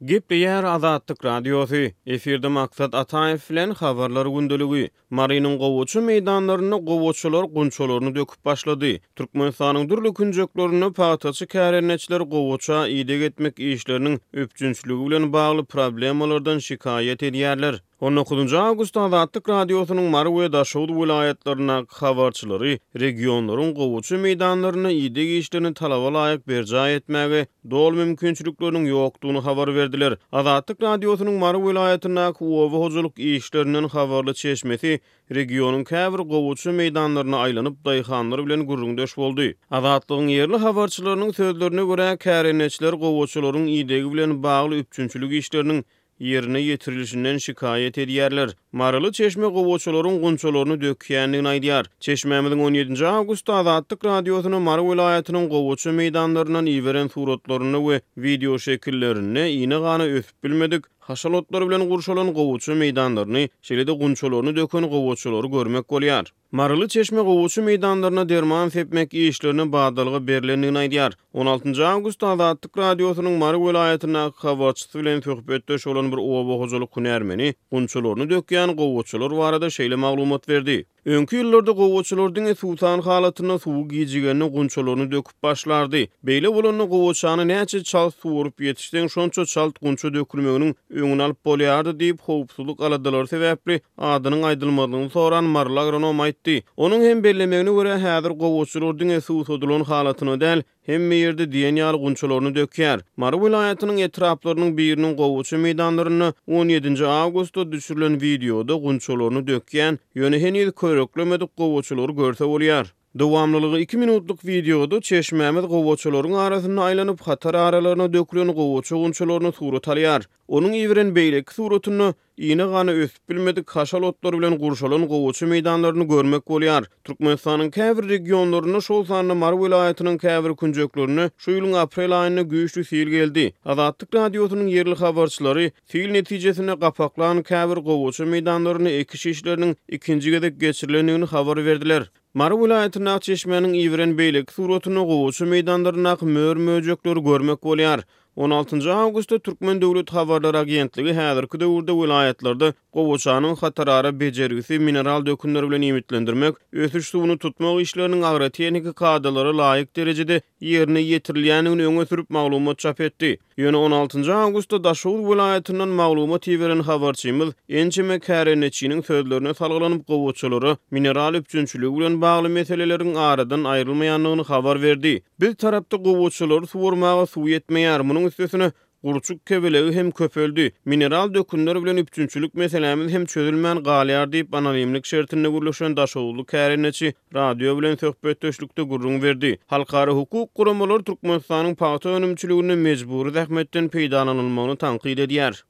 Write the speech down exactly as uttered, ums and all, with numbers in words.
Gepleýär Azatlyk Radiosy, efirde Maksat Ataýew bilen Habarlar gündeligi. Marynyň gowaça meýdanlarynda gowaçalar gunçalaryny döküp başlady. Türkmenistanyň dürli künjeklerinde pagtaçy kärendeçiler gowaça ideg etmek işleriniň üpjünçiligi bilen bagly problemalardan şikaýat edýärler. On dokuzynjy awgustda Azatlyk Radiosynyň Mary we Daşoguz welaýatlaryndaky habarçylary regionlaryň gowaça meýdanlarynda ideg işlerini talaba laýyk berjaý etmäge doly mümkinçilikleriniň ýokdugyny habar berdiler. Azatlyk Radiosynyň Mary welaýatyndaky oba hojalyk işlerinden habarly çeşmesi regionyň käbir gowaça meýdanlaryna aýlanyp, daýhanlar bilen gürrüňdeş boldy. Azatlygyň ýerli habarçylarynyň sözlerine görä, kärendeçiler gowaçalaryň idegi bilen bagly üpjünçilik işleriniň ýerine ýetirilişinden şikaýat edýärler. Maryly çeşme gowaçalaryň gunçalaryny dökýändigini aýdýar. Çeşmämiziň on ýedinji awgustda Azatlyk Radiosyna Mary welaýatynyň gowaça meýdanlaryndan iberen suratlarynda we wideo şekillerinde iýne-gana ösüp bilmedik, haşal otlar bilen gurşalan gowaça meýdanlaryny, şeýle-de gunçalaryny döken gowaçalary görmek bolýar. Maryly çeşme gowaça meýdanlaryna derman sepmek işlerine badalga berlendigini aýdýar. On altynjy awgustda Azatlyk Radiosynyň Mary welaýatyndaky habarçysy bilen söhbetdeş bolan bir oba hojalyk hünärmeni gunçalaryny dökýän gowaçalar barada şeýle maglumat berdi. Öňki ýyllarda gowaçalar diňe suwsan halatynda suwy gijigende gunçalaryny döküp başlardy. Beýle bolanda gowaçany näçe çalt suwaryp ýetişseň, şonça çalt gunça dökülmeginiň öňüni alyp bolýardy diýip, howpsuzlyk aladalary sebäpli adynyň aýdylmazlygyny soran maryly agronom aýtdy. Onuň hem bellemegine görä, häzir gowaçalar diňe suwsadylan halatyna däl, hemme ýerde diýen ýaly gunçalaryny dökýär. Mary welaýatynyň etraplarynyň biriniň gowaça meýdanlarynda on ýedinji awgustda düşürilen wideoda gunçalaryny dökýän, ýöne heniz köreklemedik gowaçalary görse bolýar. Dowamlylygy iki minutlyk wideoda çeşmämiz gowaçalaryň arasynda aýlanyp, hatar aralaryna dökülen gowaça gunçalaryny surat alýar. Onuň iberen beýleki suratynda iýne-gana ösüp bilmedik haşal otlar bilen gurşalan gowaça meýdanlaryny görmek bolýar. Türkmenistanyň käbir regionlarynda, şol sanda Mary welaýatynyň käbir künjeklerinde şu ýylyň aprel aýynda güýçli sil geldi. Azatlyk Radiosynyň ýerli habarçylary sil netijesinde gapaklan käbir gowaça meýdanlarynda ekiş işleriniň ikinji gezek geçirilendigini habar berdiler. Mary welaýatyndaky çeşmäniň iberen beýleki suratynda gowaça meýdanlaryndaky mör-möjekleri görmek bolýar. On altynjy awgustda Türkmen döwlet habarlar agentligi häzirki döwürde welaýatlarda gowaçanyň hatarara bejergisi, mineral dökünler bilen iýmitlendirmek, ösüş suwuny tutmak işleriniň agrotehniki kadalara laýyk derejede ýerine ýetirilýändigini öňe sürüp maglumat çap etdi. Ýöne on altynjy awgustda Daşoguz welaýatyndan maglumat iberen habarçymyz ençeme kärendeçiniň sözlerine salgylanyp gowaçalara mineral üpjünçiligi bilen bagly meseleleriň aradan aýrylmaýandygyny habar berdi. Biz tarapda gowaçalary suwarmaga suw ýetmeýär, munuň üstesine gurçuk kebelegi hem köpeldi. Mineral dökünler bilen üpjünçilik meselämiz hem çözülmän galýar diýip anonimlik şertinde gürleşen Daşoguzly kärendeçi radio bilen söhbetdeşlikde gürrüň berdi. Halkara hukuk guramalary Türkmenistanyň pagta önümçiliginde mejbury zähmetden peýdalanylmagyny tankyt edýär.